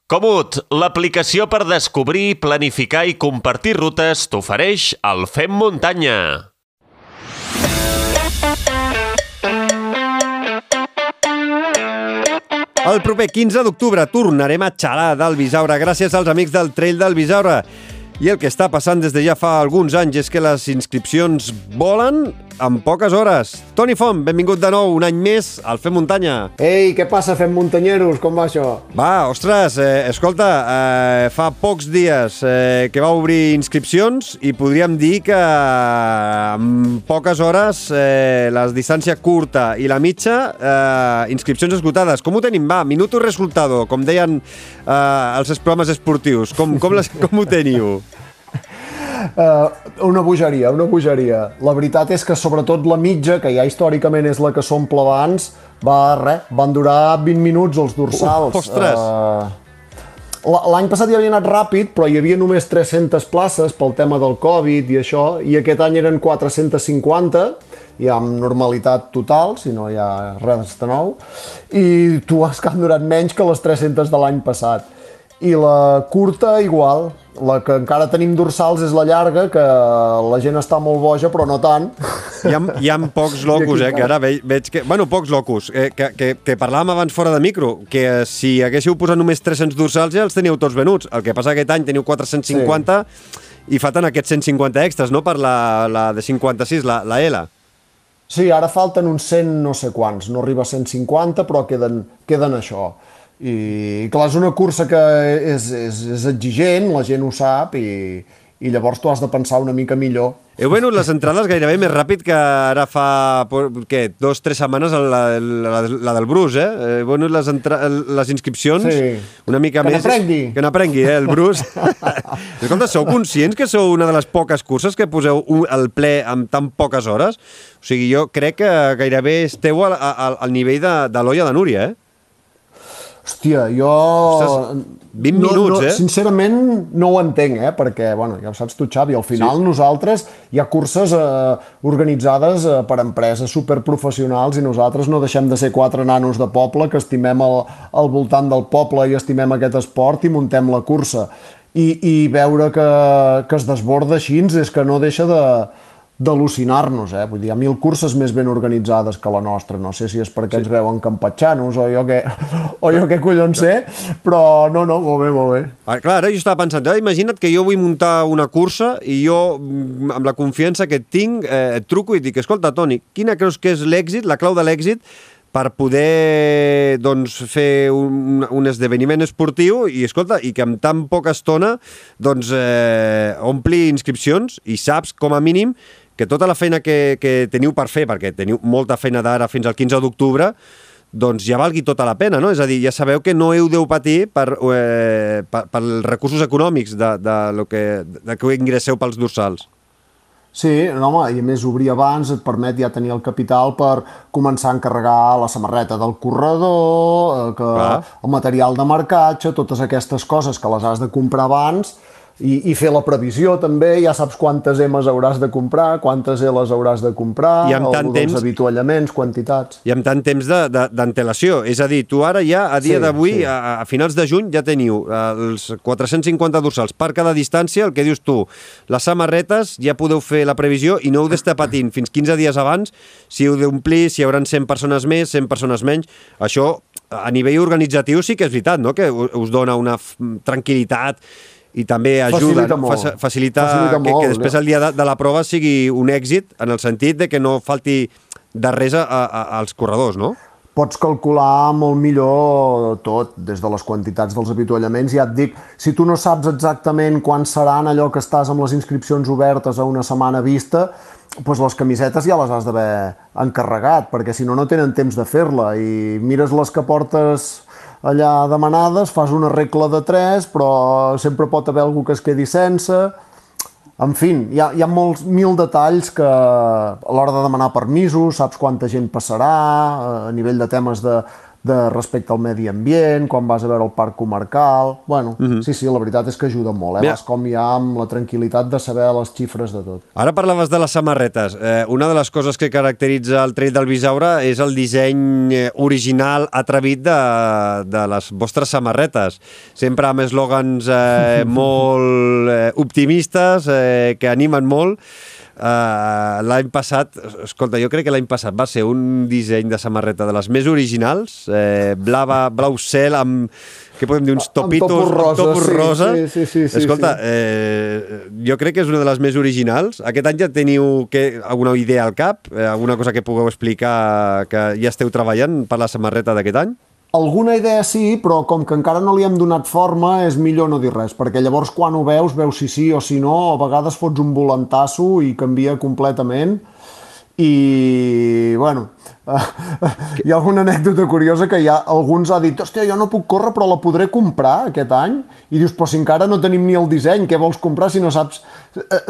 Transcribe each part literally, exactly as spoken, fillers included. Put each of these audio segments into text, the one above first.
Komoot, l'aplicació per descobrir, planificar i compartir rutes t'ofereix el Fem Muntanya. El proper quinze d'octubre tornarem a xalar del Bisaure gràcies als amics del Trail del Bisaure. I el que està passant des de ja fa alguns anys és que les inscripcions volen en poques hores. Toni Font, benvingut de nou un any més al Fem Muntanya. Ei, què passa, Fem Muntanyeros? Com va això? Va, ostres, eh, escolta, eh, fa pocs dies eh, que va obrir inscripcions i podríem dir que en poques hores eh, la distància curta i la mitja, eh, inscripcions esgotades. Com ho tenim? Va, minuto resultado, com deien eh, els programes esportius. Com, com, les, com ho teniu? Uh, una bogeria, una bogeria. La veritat és que sobretot la mitja, que ja històricament és la que s'omple abans, va, res, van durar vint minuts els dorsals. Uh, ostres! Uh, L'any passat ja havia anat ràpid, però hi havia només tres-centes places pel tema del Covid i això, i aquest any eren quatre-cents cinquanta, ja amb normalitat total, si no hi ha res de nou, i tu has que han durat menys que les tres-centes de l'any passat. I la curta, igual. La que encara tenim dorsals és la llarga, que la gent està molt boja, però no tant. Hi ha, hi ha pocs locus, eh, que ara ve, veig que... Bueno, pocs locus, eh, que, que, que parlàvem abans fora de micro, que si haguéssiu posat només tres-cents dorsals ja els teníeu tots venuts. El que passa que aquest any teniu quatre-cents cinquanta sí. I falten aquests cent cinquanta extras, no?, per la, la de cinquanta-sis, la, la L. Sí, ara falten uns cent no sé quants, no arriba a cent cinquanta, però queden, queden això. I clar, és una cursa que és, és, és exigent, la gent ho sap, i, i llavors tu has de pensar una mica millor. Heu venut les entrades gairebé més ràpid que ara fa, què, dos, tres setmanes la, la, la del Bruce, eh? Heu venut les, entra... les inscripcions sí. una mica que més... n'aprengui. Que n'aprengui, eh, el Bruce. Escolta, sou conscients que sou una de les poques curses que poseu el ple en tan poques hores? O sigui, jo crec que gairebé esteu al, al, al nivell de, de l'Olla de Núria, eh? Hòstia, jo... Ostres, vint no, minuts, no, eh? Sincerament no ho entenc, eh? Perquè, bueno, ja ho saps tu, Xavi, al final sí. Nosaltres hi ha curses eh, organitzades eh, per empreses superprofessionals i nosaltres no deixem de ser quatre nanos de poble que estimem el, el voltant del poble i estimem aquest esport i muntem la cursa. I, i veure que, que es desborda així és que no deixa de... d'al·lucinar-nos, eh? Vull dir, hi ha mil curses més ben organitzades que la nostra. No sé si és perquè sí. Ens veuen campatxanos o jo què, o jo què collons sé, però no, no, molt bé, molt bé. Ah, clar, ara jo estava pensant, eh, imagina't que jo vull muntar una cursa i jo, amb la confiança que et tinc, eh, et truco i dic, escolta, Toni, quina creus que és l'èxit, la clau de l'èxit per poder doncs, fer un, un esdeveniment esportiu i, escolta, i que en tan poca estona doncs, eh, ompli inscripcions i saps, com a mínim, que tota la feina que, que teniu per fer, perquè teniu molta feina d'ara fins al quinze d'octubre, doncs ja valgui tota la pena, no? És a dir, ja sabeu que no heu de patir per, eh, per, per els recursos econòmics de, de, lo que, de que ingresseu pels dorsals. Sí, no, home, i a més obrir abans et permet ja tenir el capital per començar a encarregar la samarreta del corredor, que, el material de marcatge, totes aquestes coses que les has de comprar abans, I, i fer la previsió també, ja saps quantes emes hauràs de comprar, quantes eles hauràs de comprar, I amb tant temps, dels avituallaments, quantitats. I amb tant temps d'antelació. És a dir, tu ara ja, a dia sí, d'avui, sí. a, a finals de juny, ja teniu els quatre-cents cinquanta dorsals per cada distància, el que dius tu, les samarretes, ja podeu fer la previsió i no heu d'estar patint fins quinze dies abans si heu d'omplir, si hi haurà cent persones més, cent persones menys. Això, a nivell organitzatiu, sí que és veritat, no?, que us dona una tranquil·litat i també ajuda, facilita, no? molt. facilita, facilita que, molt, que després el dia de, de la prova sigui un èxit en el sentit de que no falti de res a, a, als corredors, no? Pots calcular molt millor tot, des de les quantitats dels avituallaments. Ja et dic, si tu no saps exactament quan seran allò que estàs amb les inscripcions obertes a una setmana vista, doncs les camisetes ja les has d'haver encarregat, perquè si no, no tenen temps de fer-la. I mires les que portes allà demanades, fas una regla de tres, però sempre pot haver algú que es quedi sense. En fi, hi ha, hi ha molts mil detalls que a l'hora de demanar permisos, saps quanta gent passarà, a nivell de temes de, de respecte al medi ambient, quan vas a veure el parc comarcal... Bueno, uh-huh. sí, sí, la veritat és que ajuda molt, eh? Mira. Vas com ja amb la tranquil·litat de saber les xifres de tot. Ara parlaves de les samarretes. Eh, una de les coses que caracteritza el Trail del Bisaure és el disseny original atrevit de, de les vostres samarretes. Sempre amb eslògans eh, molt eh, optimistes, eh, que animen molt. Uh, l'any passat, escolta, jo crec que l'any passat va ser un disseny de samarreta de les més originals, eh, blava, blau cel amb, què podem dir, uns topitos, amb topos rosa, topos sí, rosa. Sí, sí, sí, sí, escolta, sí. Eh, jo crec que és una de les més originals. Aquest any ja teniu que, alguna idea al cap? Eh, alguna cosa que pugueu explicar que ja esteu treballant per la samarreta d'aquest any? Alguna idea sí, però com que encara no li hem donat forma, és millor no dir res, perquè llavors quan ho veus, veus si sí o si no, a vegades fots un volantasso i canvia completament. I, bueno, hi ha alguna anècdota curiosa que ja alguns ha dit, hòstia, jo no puc córrer però la podré comprar aquest any, i dius, però si encara no tenim ni el disseny, què vols comprar si no saps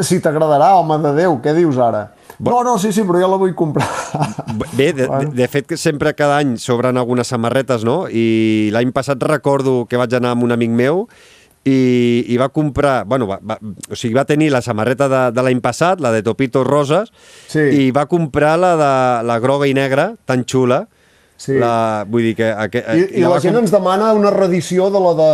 si t'agradarà, home de Déu, què dius ara? No, no, sí, sí, però jo la vull comprar. Bé, de, bueno. de, de fet, que sempre cada any s'obren algunes samarretes, no? I l'any passat recordo que vaig anar amb un amic meu i, i va comprar... Bueno, va, va, o sigui, va tenir la samarreta de, de l'any passat, la de Topitos Roses, sí. I va comprar la de la groga i negra, tan xula. Sí. La, vull dir que... Aqu I i la, la gent com... ens demana una reedició de la de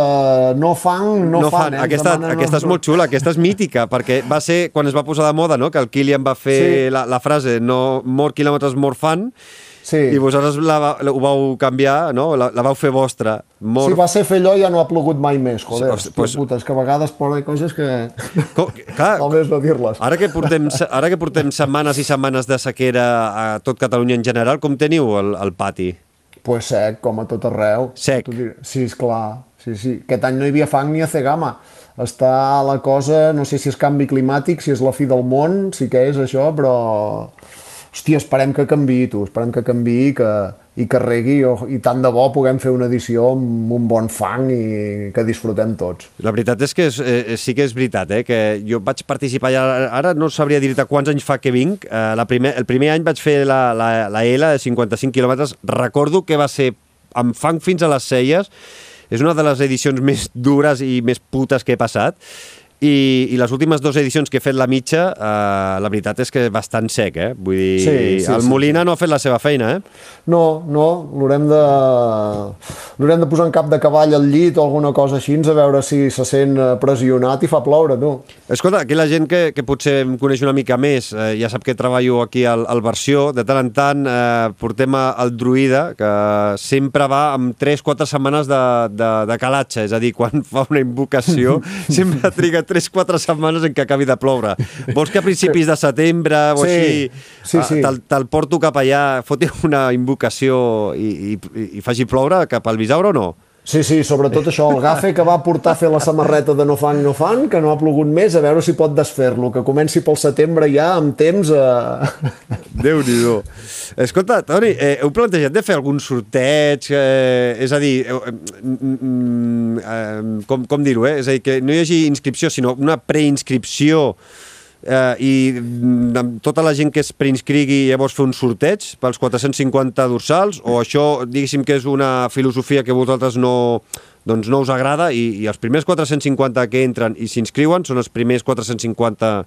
No Fan, No, no Fan. fan. Eh? Aquesta, aquesta no... és molt xula, aquesta és mítica, perquè va ser quan es va posar de moda, no? Que el Kilian va fer sí. la, la frase no more quilòmetres, more fan, sí. I vosaltres la, la, ho vau canviar, no? La, la vau fer vostra. More... Si va ser fer allò ja no ha plogut mai més, joder. Sí, pues... puta, és que a vegades poden coses que... Com, clar, val més no dir-les. Ara que, portem, ara que portem setmanes i setmanes de sequera a tot Catalunya en general, com teniu el, el pati? Pues sec, com a tot arreu. Sec? Sí, esclar. Sí, sí. Aquest any no hi havia fang ni a Cegama. Està la cosa, no sé si és canvi climàtic, si és la fi del món, sí que és això, però... Hòstia, esperem que canviï, tu, esperem que canviï que, i que regui, i tant de bo puguem fer una edició amb un bon fang i que disfrutem tots. La veritat és que és, eh, sí que és veritat, eh, que jo vaig participar, ja, ara no sabria dir-te quants anys fa que vinc, eh, la primer, el primer any vaig fer la, la, la L de cinquanta-cinc quilòmetres, recordo que va ser amb fang fins a les celles, és una de les edicions més dures i més putes que he passat, I, i les últimes dues edicions que he fet la mitja, eh, la veritat és que és bastant sec, eh? Vull dir, sí, sí, el Molina sí. No ha fet la seva feina, eh? No, no, l'haurem de... l'haurem de posar en cap de cavall al llit o alguna cosa així, a veure si se sent pressionat i fa ploure, tu. Escolta, aquí la gent que, que potser em coneix una mica més, eh, ja sap que treballo aquí al, al Versió, de tant en tant eh, portem el Druida, que sempre va amb tres quatre setmanes de, de, de calatge, és a dir, quan fa una invocació, sempre triga tres quatre setmanes en què acabi de ploure. Vols que a principis de setembre o sí, així sí, sí. Te'l te porto cap allà, foti una invocació i, i, i faci ploure cap al Bisaure o no? Sí, sí, sobretot això, el gafe que va portar a fer la samarreta de No Fan, No Fan, que no ha plogut més, a veure si pot desfer-lo, que comenci pel setembre ja amb temps a... Déu-n'hi-do. Escolta, Toni, eh, heu plantejat de fer algun sorteig? Eh, és a dir, eh, eh, com, com dir-ho, eh? És a dir, que no hi hagi inscripció, sinó una preinscripció eh, i tota la gent que es preinscrigui llavors fer un sorteig pels quatre-cents cinquanta dorsals, o això, diguéssim que és una filosofia que vosaltres no, doncs no us agrada i, i els primers quatre-cents cinquanta que entren i s'inscriuen són els primers quatre-cents cinquanta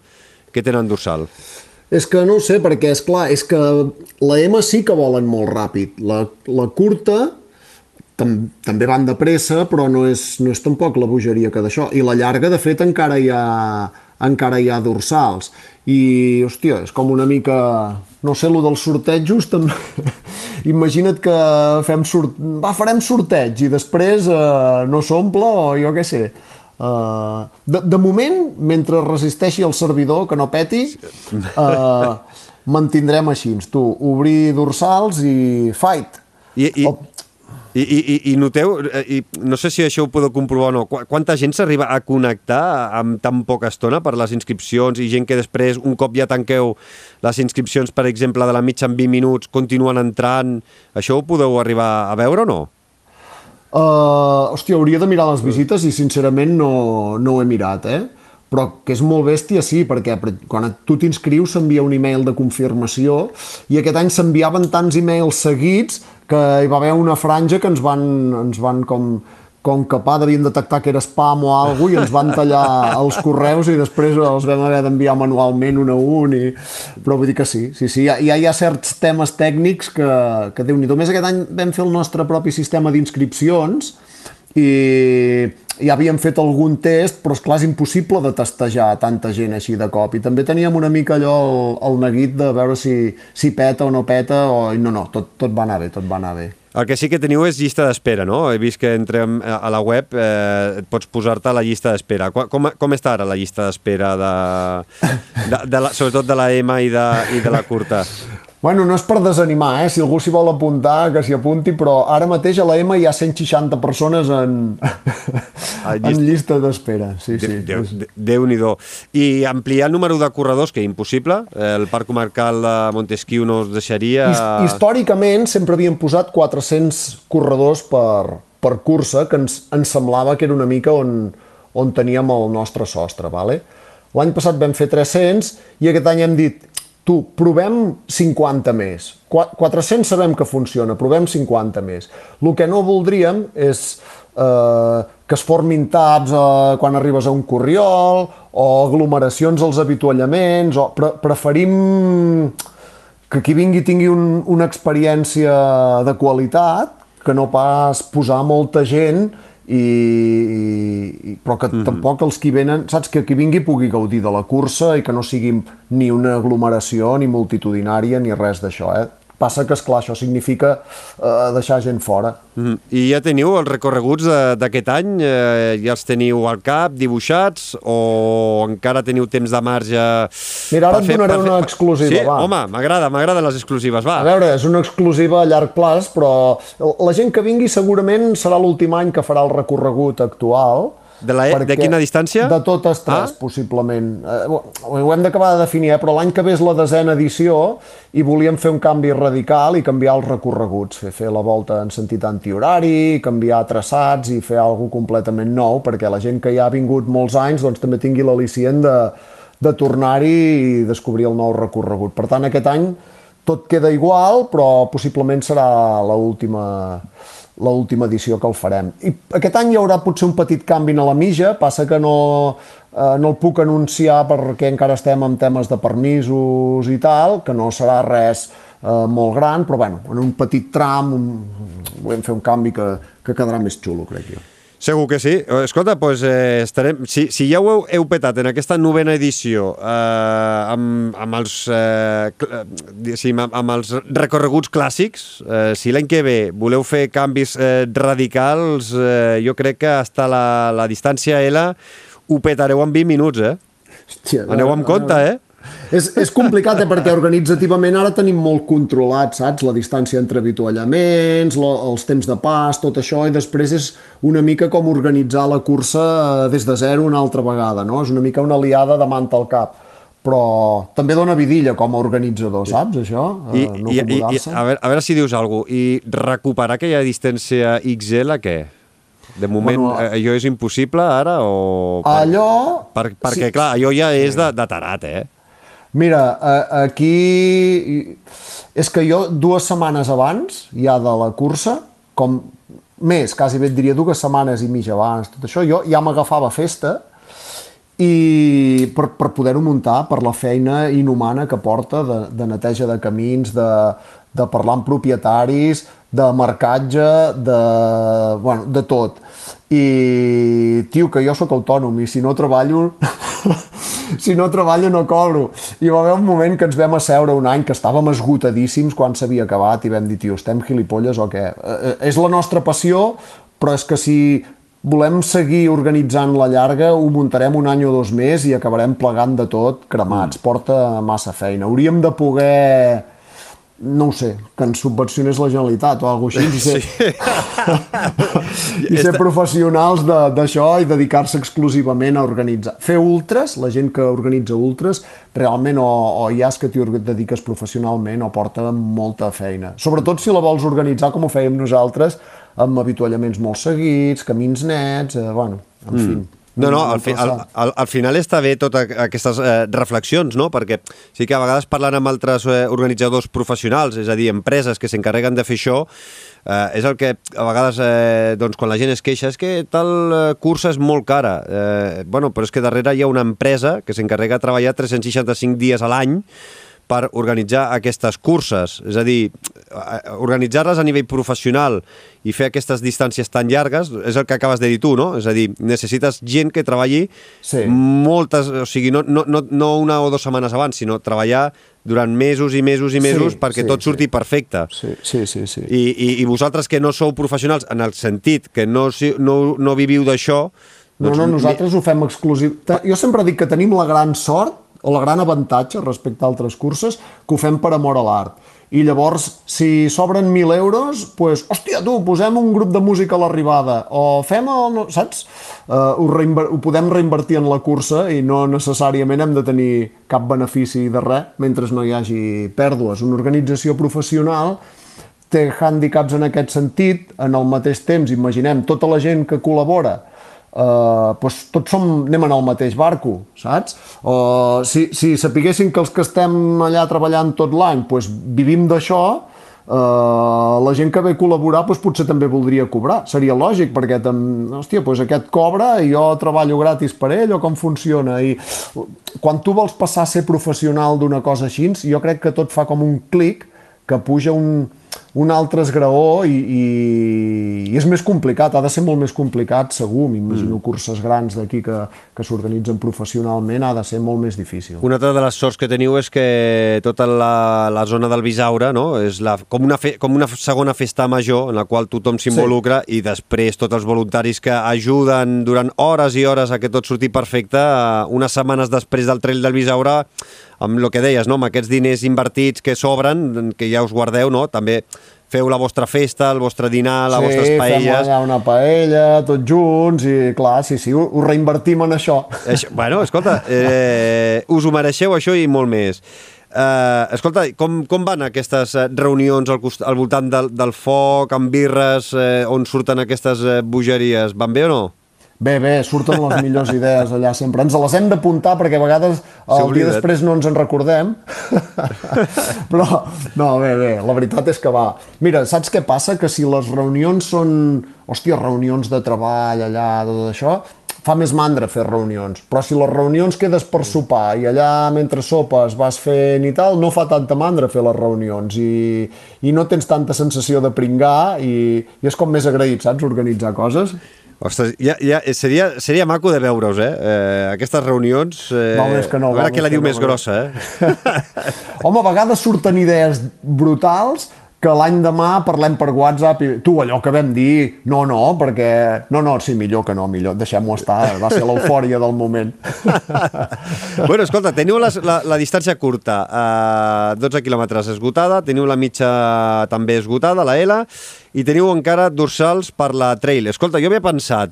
que tenen dorsal? És que no ho sé, perquè és clar, és que la M sí que volen molt ràpid. La, la curta tam, també van de pressa, però no és, no és tampoc la bogeria que d'això. I la llarga, de fet, encara hi ha, encara hi ha dorsals. I, hòstia, és com una mica... No sé, lo dels sortejos, també... Imagina't que fem sort... Va, farem sorteig i després eh, no s'omple o jo què sé... Uh, de, de moment, mentre resisteixi el servidor, que no peti, uh, mantindrem així, tu, obrir dorsals i fight. I, i, oh. i, i, i noteu, i no sé si això ho podeu comprovar o no, quanta gent s'arriba a connectar amb tan poca estona per les inscripcions i gent que després, un cop ja tanqueu les inscripcions, per exemple, de la mitja en vint minuts, continuen entrant, això ho podeu arribar a veure o no? Uh, hòstia, hauria de mirar les visites i sincerament no, no ho he mirat, eh? Però que és molt bèstia, sí, perquè quan tu t'inscrius s'envia un email de confirmació i aquest any s'enviaven tants emails seguits que hi va haver una franja que ens van, ens van com, com capar, devien detectar que era spam o alguna cosa i ens van tallar els correus i després els vam haver d'enviar manualment un a un. I... Però vull dir que sí, sí, sí, ja, ja hi ha certs temes tècnics que, que Déu-n'hi-do. Més aquest any vam fer el nostre propi sistema d'inscripcions i ja havíem fet algun test, però esclar, és impossible de testejar tanta gent així de cop. I també teníem una mica allò el, el neguit de veure si, si peta o no peta, o... no, no, tot, tot va anar bé, tot va anar bé. El que sí que teniu és llista d'espera, no? He vist que entrem a la web, eh, et pots posar-te a la llista d'espera. Com, com està ara la llista d'espera, de, de, de la, sobretot de la M i de, i de la curta? Bueno, no és per desanimar, eh? Si algú s'hi vol apuntar, que s'hi apunti, però ara mateix a la M hi ha cent seixanta persones en, en llista d'espera. Sí, sí. Déu, Déu, Déu-n'hi-do. I ampliar el número de corredors, que és impossible. El Parc Comarcal de Montesquieu no us deixaria... Històricament sempre havíem posat quatre-cents corredors per, per cursa, que ens, ens semblava que era una mica on, on teníem el nostre sostre. Vale? L'any passat vam fer tres-cents i aquest any hem dit tu, provem cinquanta més. quatre-cents sabem que funciona, provem cinquanta més. El que no voldríem és eh, que es formin taps eh, quan arribes a un corriol o aglomeracions als avituallaments. O pre preferim que qui vingui tingui un, una experiència de qualitat, que no pas posar molta gent i, i, però que mm-hmm. tampoc els que venen, saps, que qui vingui pugui gaudir de la cursa i que no sigui ni una aglomeració ni multitudinària ni res d'això, eh? Passa que, esclar, això significa eh, deixar gent fora. Mm. I ja teniu els recorreguts d'aquest any? Eh, ja els teniu al cap, dibuixats, o encara teniu temps de marge? Mira, ara et donaré fer... una exclusiva, sí? va. Home, m'agrada, m'agraden les exclusives, va. A veure, és una exclusiva a llarg plaç, però la gent que vingui segurament serà l'últim any que farà el recorregut actual. De, la, de quina distància? De totes tres, ah? possiblement. Eh, ho hem d'acabar de definir, eh? Però l'any que ve és la desena edició i volíem fer un canvi radical i canviar els recorreguts, fer, fer la volta en sentit antihorari, canviar traçats i fer alguna cosa completament nou, perquè la gent que ja ha vingut molts anys doncs, també tingui l'al·licient de, de tornar-hi i descobrir el nou recorregut. Per tant, aquest any tot queda igual, però possiblement serà l'última... l'última edició que el farem. I aquest any hi haurà potser un petit canvi a la mitja, passa que no, eh, no el puc anunciar perquè encara estem en temes de permisos i tal, que no serà res eh, molt gran, però bueno, en un petit tram un, volem fer un canvi que, que quedarà més xulo, crec jo. Segur que sí. Escolta, doncs, eh, estarem... si, si ja ho heu, heu petat en aquesta novena edició eh, amb, amb, els, eh, sí, amb, amb els recorreguts clàssics, eh, si l'any que ve voleu fer canvis eh, radicals, eh, jo crec que hasta la, la distància L ho petareu en vint minuts, eh? Hòstia, aneu amb compte, eh? És, és complicat, eh, perquè organitzativament ara tenim molt controlat, saps? La distància entre avituallaments, lo, els temps de pas, tot això, i després és una mica com organitzar la cursa des de zero una altra vegada, no? És una mica una liada de manta al cap. Però també dona vidilla com a organitzador, saps, això? I, no i, i, i, a, veure, a veure si dius alguna cosa. I recuperar aquella distància X L, què? De moment, bueno, allò és impossible ara o... Per, allò... Per, perquè, sí, clar, allò ja és de, de tarat, eh? Mira, aquí... És que jo dues setmanes abans, ja de la cursa, com més, quasi bé et diria dues setmanes i mitja abans, tot això, jo ja m'agafava festa i per, per poder-ho muntar, per la feina inhumana que porta de, de neteja de camins, de, de parlar amb propietaris, de marcatge, de, bueno, de tot. I, tio, que jo sóc autònom i si no treballo... si no treballo no cobro. I va haver un moment que ens vam asseure un any que estàvem esgotadíssims quan s'havia acabat i vam dir, tio, estem gilipolles o què? Eh, és la nostra passió, però és que si volem seguir organitzant la llarga ho muntarem un any o dos més i acabarem plegant de tot cremats. Porta massa feina. Hauríem de poder... no ho sé, que ens subvencionés la Generalitat o alguna cosa així, i ser, sí. i ser professionals d'això i dedicar-se exclusivament a organitzar. Fer ultres, la gent que organitza ultres, realment o, o ja és que t'hi dediques professionalment o porta molta feina. Sobretot si la vols organitzar com ho fèiem nosaltres, amb avituallaments molt seguits, camins nets, eh, bueno, en mm. fi. No, no, al, fi, al, al, al final està bé totes aquestes eh, reflexions, no? Perquè sí que a vegades parlant amb altres eh, organitzadors professionals, és a dir, empreses que s'encarreguen de fer això, eh, és el que a vegades, eh, doncs, quan la gent es queixa, és que tal eh, cursa és molt cara. Eh, bueno, però és que darrere hi ha una empresa que s'encarrega de treballar tres-cents seixanta-cinc dies a l'any per organitzar aquestes curses. És a dir, organitzar-les a nivell professional i fer aquestes distàncies tan llargues és el que acabes de dir tu, no? És a dir, necessites gent que treballi sí. moltes... O sigui, no, no, no, no una o dues setmanes abans, sinó treballar durant mesos i mesos i mesos sí, perquè sí, tot surti sí. perfecte. Sí, sí, sí. sí. I, i, I vosaltres que no sou professionals, en el sentit que no, no, no viviu d'això... Doncs... No, no, nosaltres ho fem exclusiu. Jo sempre dic que tenim la gran sort o la gran avantatge respecte a altres curses, que ho fem per amor a l'art. I llavors, si sobren mil euros, doncs, hòstia, tu, posem un grup de música a l'arribada, o fem el... saps? Uh, ho, ho podem reinvertir en la cursa i no necessàriament hem de tenir cap benefici de res, mentre no hi hagi pèrdues. Una organització professional té hàndicaps en aquest sentit, en el mateix temps, imaginem, tota la gent que col·labora, Uh, doncs tots som, anem en el mateix barco, saps? Uh, si, si sapiguessin que els que estem allà treballant tot l'any doncs vivim d'això, uh, la gent que ve a col·laborar doncs potser també voldria cobrar. Seria lògic, perquè hòstia, doncs aquest cobra i jo treballo gratis per ell, o com funciona? I quan tu vols passar a ser professional d'una cosa així, jo crec que tot fa com un clic que puja un... un altre esgraó i, i, i és més complicat, ha de ser molt més complicat segur, m'imagino mm. curses grans d'aquí que, que s'organitzen professionalment ha de ser molt més difícil. Una altra de les sorts que teniu és que tota la, la zona del Bisaure, no? És la, com, una fe, com una segona festa major en la qual tothom s'involucra sí. i després tots els voluntaris que ajuden durant hores i hores a que tot surti perfecte, unes setmanes després del Trail del Bisaure, amb el que deies, no? Amb aquests diners invertits que sobren, que ja us guardeu, no? També feu la vostra festa, el vostre dinar, les sí, vostres paelles... Sí, fem allà una paella, tots junts, i clar, sí, sí, ho, ho reinvertim en això. això bueno, escolta, eh, us ho mereixeu això i molt més. Eh, escolta, com, com van aquestes reunions al, cost, al voltant del, del foc, amb birres, eh, on surten aquestes eh, bogeries? Van bé o no? Bé, bé, surten les millors idees allà sempre. Ens les hem d'apuntar perquè a vegades el dia després no ens en recordem. Però, no, bé, bé, la veritat és que va. Mira, saps què passa? Que si les reunions són, hòstia, reunions de treball allà, de tot això, fa més mandra fer reunions. Però si les reunions quedes per sopar i allà mentre sopes vas fent i tal, no fa tanta mandra fer les reunions i, i no tens tanta sensació de pringar i, i és com més agraït, saps, organitzar coses. Ostres, ja, ja, seria, seria maco de veure-us, eh? eh? Aquestes reunions... Eh, val més que no. A veure qui la diu més grossa, eh? Home, a vegades surten idees brutals que l'any demà parlem per WhatsApp i tu, allò que vam dir, no, no, perquè... No, no, sí, millor que no, millor, deixem-ho estar, va ser l'eufòria del moment. Bueno, escolta, teniu la, la, la distància curta, eh, dotze quilòmetres esgotada, teniu la mitja també esgotada, la L, i teniu encara dorsals per la trail. Escolta, jo havia pensat,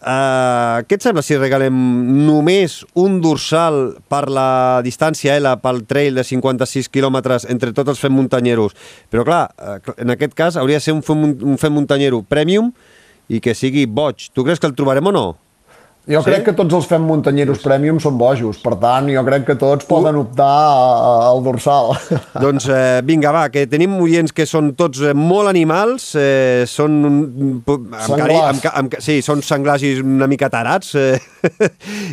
uh, què et sembla si regalem només un dorsal per la distància L pel trail de cinquanta-sis quilòmetres entre tots els fem muntanyeros? Però clar, en aquest cas hauria de ser un fem, un fem muntanyero premium i que sigui boig. Tu creus que el trobarem o no? Jo sí? crec que tots els fem muntanyeros premium són bojos, per tant, jo crec que tots poden optar al dorsal. Doncs eh, vinga, va, que tenim oients que són tots eh, molt animals, eh, són... Senglars. Amb, amb, sí, són senglars i una mica tarats, eh,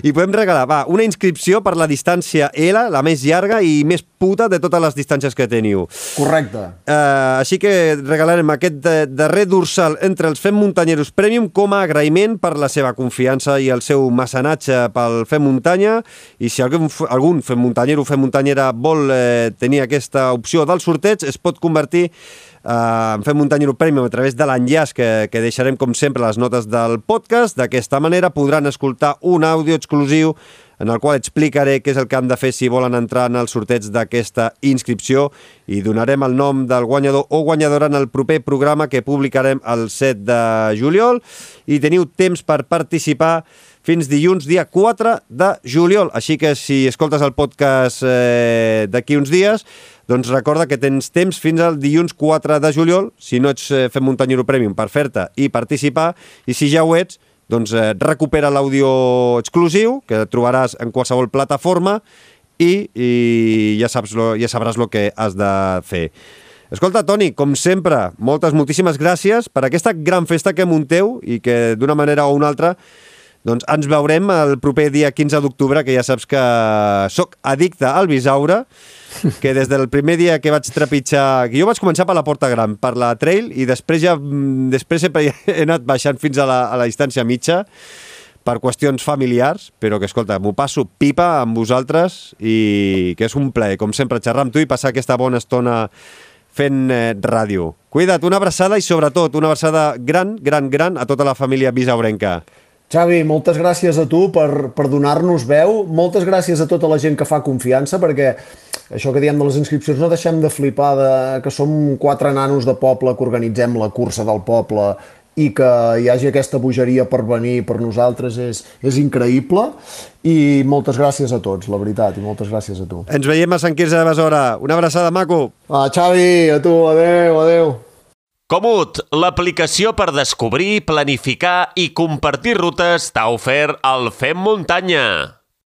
i podem regalar, va, una inscripció per la distància L, la més llarga i més puta de totes les distàncies que teniu. Correcte. Eh, així que regalarem aquest darrer dorsal entre els fem muntanyeros premium com a agraïment per la seva confiança i el seu mecenatge pel Fem Muntanya, i si algun, algun Fem Muntanyero o Fem Muntanyera vol eh, tenir aquesta opció del sorteig, es pot convertir eh, en Fem Muntanyero Premium a través de l'enllaç que, que deixarem com sempre a les notes del podcast. D'aquesta manera podran escoltar un àudio exclusiu en el qual explicaré què és el que han de fer si volen entrar en el sorteig d'aquesta inscripció, i donarem el nom del guanyador o guanyadora en el proper programa que publicarem el set de juliol, i teniu temps per participar fins dilluns, dia quatre de juliol. Així que si escoltes el podcast eh, d'aquí uns dies, doncs recorda que tens temps fins al dilluns quatre de juliol, si no ets eh, Fem Muntanyero Premium, per fer-te i participar, i si ja ho ets, doncs eh, recupera l'àudio exclusiu, que trobaràs en qualsevol plataforma, i, i ja, saps lo, ja sabràs el que has de fer. Escolta, Toni, com sempre, moltes, moltíssimes gràcies per aquesta gran festa que munteu i que d'una manera o una altra doncs ens veurem el proper dia quinze d'octubre, que ja saps que sóc addicte al Bisaure, que des del primer dia que vaig trepitjar... Jo vaig començar per la Porta Gran, per la Trail, i després ja després sempre he anat baixant fins a la, a la distància mitja per qüestions familiars, però que, escolta, m'ho passo pipa amb vosaltres i que és un plaer, com sempre, xerrar amb tu i passar aquesta bona estona fent eh, ràdio. Cuida't, una abraçada i, sobretot, una abraçada gran, gran, gran a tota la família bisaurenca. Xavi, moltes gràcies a tu per, per donar-nos veu, moltes gràcies a tota la gent que fa confiança, perquè això que diem de les inscripcions no deixem de flipar de que som quatre nanos de poble que organitzem la cursa del poble i que hi hagi aquesta bogeria per venir per nosaltres és, és increïble, i moltes gràcies a tots, la veritat, i moltes gràcies a tu. Ens veiem a Sant Quirze de Besora. Una abraçada, maco. Ah, Xavi, a tu, adeu, adeu. Komoot, l'aplicació per descobrir, planificar i compartir rutes t'ha ofert el Fem Muntanya.